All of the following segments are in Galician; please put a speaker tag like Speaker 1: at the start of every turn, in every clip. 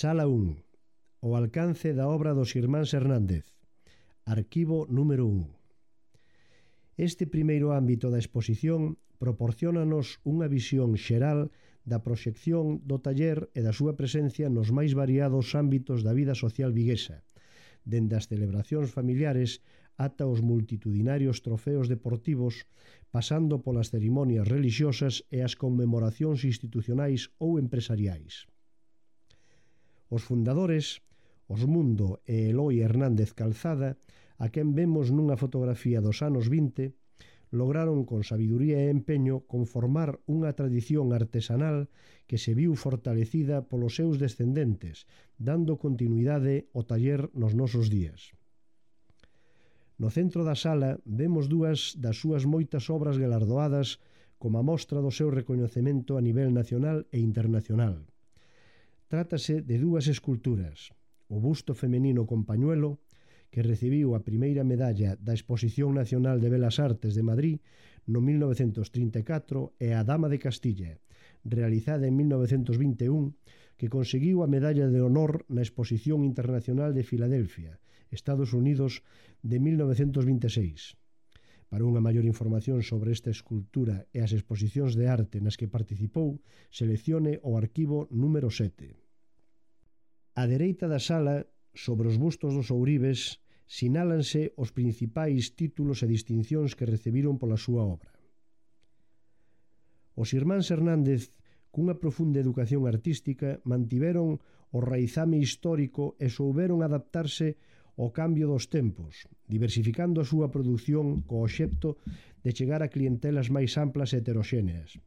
Speaker 1: Sala 1. O alcance da obra dos irmáns Hernández. Arquivo número 1. Este primeiro ámbito da exposición proporciónanos unha visión xeral da proxección do taller e da súa presencia nos máis variados ámbitos da vida social viguesa, dende as celebracións familiares ata os multitudinarios trofeos deportivos, pasando polas cerimonias religiosas e as conmemoracións institucionais ou empresariais. Os fundadores, Osmundo e Eloi Hernández Calzada, a quen vemos nunha fotografía dos anos 20, lograron con sabiduría e empeño conformar unha tradición artesanal que se viu fortalecida polos seus descendentes, dando continuidade ao taller nos nosos días. No centro da sala vemos dúas das súas moitas obras galardoadas como a mostra do seu recoñecemento a nivel nacional e internacional. Trátase de dúas esculturas, o busto femenino con pañuelo, que recibiu a primeira medalla da Exposición Nacional de Belas Artes de Madrid no 1934 e a Dama de Castilla, realizada en 1921, que conseguiu a medalla de honor na Exposición Internacional de Filadelfia, Estados Unidos, de 1926. Para unha maior información sobre esta escultura e as exposicións de arte nas que participou, seleccione o arquivo número 7. Á dereita da sala, sobre os bustos dos ouribes, sinálanse os principais títulos e distincións que recibiron pola súa obra. Os irmáns Hernández, cunha profunda educación artística, mantiveron o raizame histórico e souberon adaptarse ao cambio dos tempos, diversificando a súa produción co obxecto de chegar a clientelas máis amplas e heteroxéneas.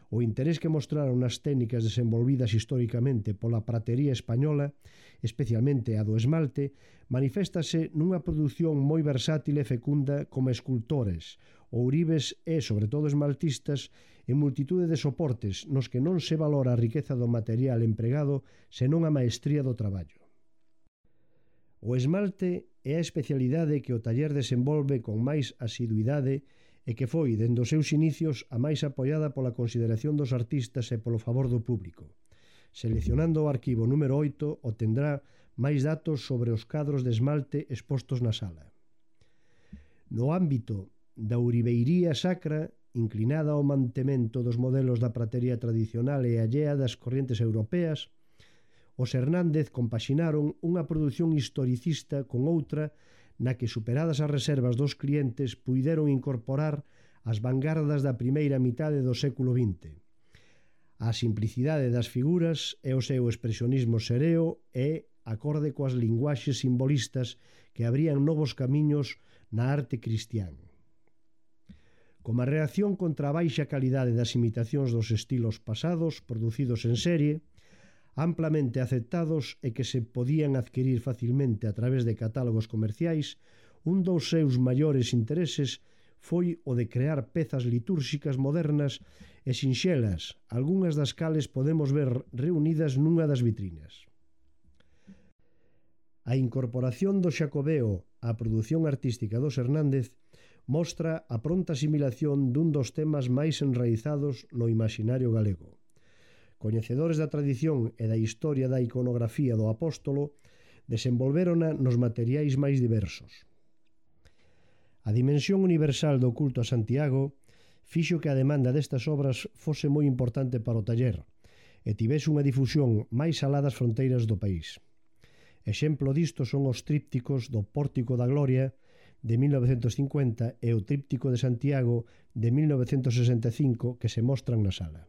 Speaker 1: O interés que mostraron nas técnicas desenvolvidas historicamente pola pratería española, especialmente a do esmalte, maniféstase nunha produción moi versátil e fecunda como escultores, ouribes e, sobre todo, esmaltistas, en multitude de soportes nos que non se valora a riqueza do material empregado, senón a maestría do traballo. O esmalte é a especialidade que o taller desenvolve con máis asiduidade e que foi, dende os seus inicios, a máis apoiada pola consideración dos artistas e polo favor do público. Seleccionando o arquivo número 8, obtendrá máis datos sobre os cadros de esmalte expostos na sala. No ámbito da ouribeiría sacra, inclinada ao mantemento dos modelos da pratería tradicional e allea das corrientes europeas, os Hernández compaxinaron unha produción historicista con outra na que, superadas as reservas dos clientes, puideron incorporar as vanguardas da primeira mitade do século XX. A simplicidade das figuras e o seu expresionismo sereo é acorde coas linguaxes simbolistas que abrían novos camiños na arte cristián. Como a reacción contra a baixa calidade das imitacións dos estilos pasados producidos en serie, amplamente aceptados e que se podían adquirir facilmente a través de catálogos comerciais, un dos seus maiores intereses foi o de crear pezas litúrxicas modernas e sinxelas, algunhas das cales podemos ver reunidas nunha das vitrinas. A incorporación do Xacobeo á produción artística dos Hernández mostra a pronta asimilación dun dos temas máis enraizados no imaxinario galego. Coñecedores da tradición e da historia da iconografía do apóstolo, desenvolvérona nos materiais máis diversos. A dimensión universal do culto a Santiago fixo que a demanda destas obras fose moi importante para o taller e tivese unha difusión máis alá das fronteiras do país. Exemplo disto son os trípticos do Pórtico da Gloria de 1950 e o tríptico de Santiago de 1965 que se mostran na sala.